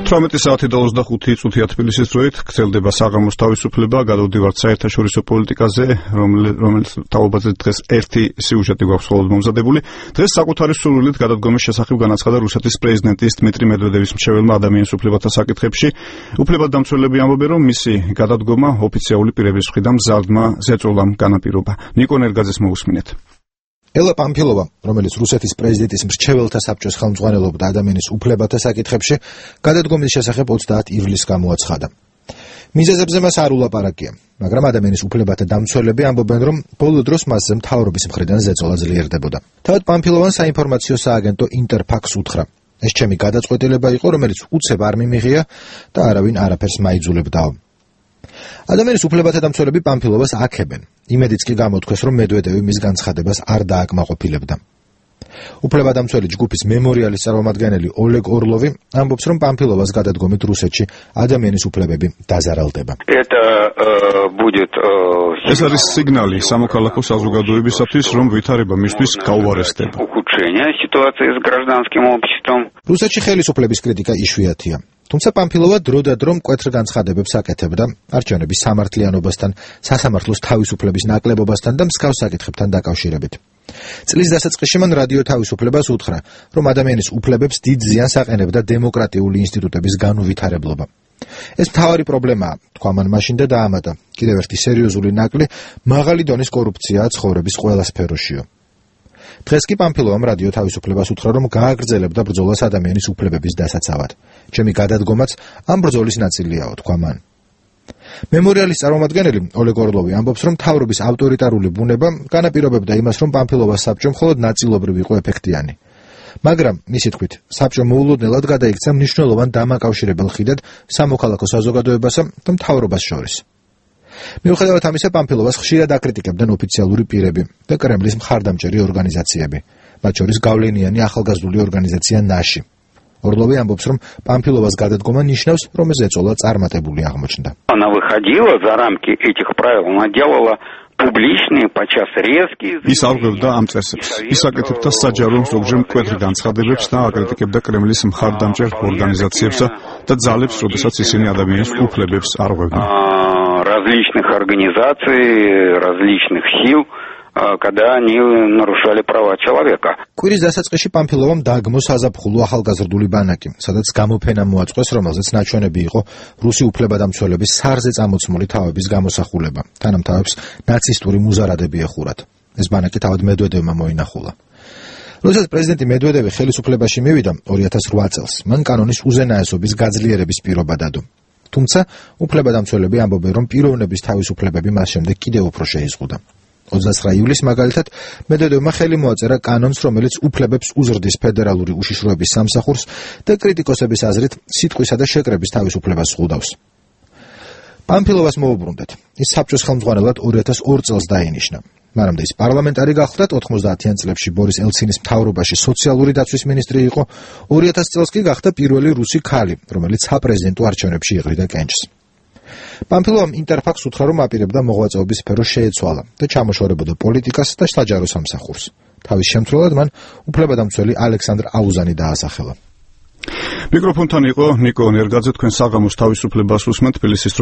18 საათი და 25 წუთია თბილისის დროით გრძელდება საღამოს თავისუფლება, გადავდივართ საერთაშორისო პოლიტიკაზე, რომელიც თაობაზე დღეს ერთი სიუჟეტი გვაქვს მხოლოდ მომზადებული. დღეს საკუთარი სურვილით გადადგომის შესახებ განაცხადა რუსეთის პრეზიდენტის დმიტრი მედვედევის მრჩეველმა ადამიანის უფლებათა საკითხებში. უფლებადამცველები ამბობენ, რომ მისი გადადგომა ოფიციალური პირების მხრიდან მზარდმა ზეწოლამ განაპირობა. ნიკო ნერგაძეს მოусმინეთ. ელა პამფილოვა, რომელიც რუსეთის პრეზიდენტის მრჩეველთა საბჭოს ხელმძღვანელობდა ადამიანის უფლებათა საკითხებში, გადადგომის შესახებ 30 ივლისს გამოაცხადა. მიზეზებზე მას არ ულაპარაკია, მაგრამ ადამიანის უფლებათა დამცველები ამბობენ, რომ ბოლო დროს მასზე მთავრობის მხრიდან ზეწოლა ძლიერდებოდა. თავად პამფილოვან საინფორმაციო სააგენტო ინტერფაქს უთხრა: ეს ჩემი გადაწყვეტილება იყო, რომელიც უცებ არ მიმიღია და არავინ არაფერს მაიძულებდაო. ადამიანის უფლებათა დამცველები პამფილოვას აქებენ. იმედიც კი გამოთქვეს, რომ მედვედევი მის განცხადებას არ დააკმაყოფილებდა. უფლებადამცველი ჯგუფის მემორიალის წარმომადგენელი ოლეგ ორლოვი ამბობს, რომ პამფილოვას გადადგომით რუსეთში ადამიანის უფლებები დაზარალდება. ეს არის სიგნალი სამოქალაქო საზოგადოებისათვის, რომ ვითარება მისთვის გაუარესდება. რუსეთში ხელისუფლების კრიტიკა იშვიათია. თუმცა პამფილოვა დროდადრო მკვეთრ განცხადებებს აკეთებდა არჩევნების სამართლიანობასთან, სასამართლოს თავისუფლების ნაკლებობასთან და მსგავს საკითხებთან დაკავშირებით. წლის დასაწყისში მან რადიო თავისუფლებას უთხრა, რომ ადამიანის უფლებებს დიდ ზიანს აყენებდა დემოკრატიული ინსტიტუტების განუვითარებლობა. ეს მთავარი პრობლემაა, თქვა მან მაშინ და დაამატა: კიდევ ერთი სერიოზული ნაკლი მაღალი დონის კორუფციაა ცხოვრების ყველა სფეროშიო. დღეს კი პამფილოვამ რადიო თავისუფლებას უთხრა, რომ გააგრძელებდა ბრძოლას ადამიანის უფლებების დასაცავად. ჩემი გადადგომაც ამ ბრძოლის ნაწილიაო, თქვა მან. მემორიალის წარმომადგენელი ოლეგ ორლოვი ამბობს, რომ მთავრობის ავტორიტარული ბუნება განაპირობებდა იმას, რომ პამფილოვას საბჭო მხოლოდ ნაწილობრივ იყო ეფექტიანი. მაგრამ, მისი თქმით, საბჭო მოულოდნელად გადაიქცა მნიშვნელოვან დამაკავშირებელ ხიდად სამოქალაქო საზოგადოებასა და მთავრობას შორის. მიუხედავად ამისა, პამფილოვას ხშირად აკრიტიკებდნენ ოფიციალური პირები და კრემლის მხარდამჭერი ორგანიზაციები, მათ შორის გავლენიანი ახალგაზრდული ორგანიზაცია ნაში. ორლოვი ამბობს, რომ პამფილოვას გადადგომა ნიშნავს, რომ ეს ზეწოლა წარმატებული აღმოჩნდა. ის არღვევდა ამ წესებს, ის აკეთებდა საჯარო ზოგჯერ მკვეთრ განცხადებებს და აკრიტიკებდა კრემლის მხარდამჭერ ორგანიზაციებსა და ძალებს, როდესაც ისინი ადამიანის უფლებებს არღვევდნენ. различных организаций, различных сил, когда они нарушали права человека. კვირის დასაწყისში პამფილოვამ დაგმო საზაფხულო ახალგაზრდული ბანაკი, სადაც გამოფენა მოაწყვეს, რომელზეც ნაჩვენები იყო რუსი უფლებადამცველების სარზე წამოწმული თავების გამოსახულება. თანამთავრებს ნაცისტური მუზარადები ეხურათ. ეს ბანაკი თავად მედვედევმა მოინახულა. როდესაც პრეზიდენტი მედვედევი ხელისუფლებაში მივიდა 2008 წელს, მან კანონის უზენაესობის გაძლიერების პირობა დადო. თუმცა უფლებადამცველები ამბობენ, რომ პიროვნების თავისუფლებები მას შემდეგ კიდევ უფრო შეიზღუდა. 29 ივლისს მაგალითად მედვედევმა ხელი მოაწერა კანონს, რომელიც უფლებებს უზრდის ფედერალური უშიშროების სამსახურს და კრიტიკოსების აზრით სიტყვისა და შეკრების თავისუფლებას ზღუდავს. პამფილოვას მოუბრუნდეთ. ის საბჭოს ხელმძღვანელად 2002 წელს დაინიშნა. მანამდე ის პარლამენტარი გახლდა, 90-იან წლებში ბორის ელცინის მთავრობაში სოციალური დაცვის მინისტრი იყო, 2000 წელს კი გახდა პირველი რუსი ქალი, რომელიც საპრეზიდენტო არჩევნებში იღრიდა კენჭს. პამფილოვამ ინტერფაქს უთხრა, რომ აპირებდა მოღვაწეობის სფერო შეეცვალა და ჩამოშორებოდა პოლიტიკას და საჯარო სამსახურს. თავის შემცვლელად მან უფლებადამცველი ალექსანდრ აუზანი დაასახელა. მიკროფონთან იყო ნიკო ნერგაძე, თქვენ საღამოს თავისუფლებას უსმენთ თბილისის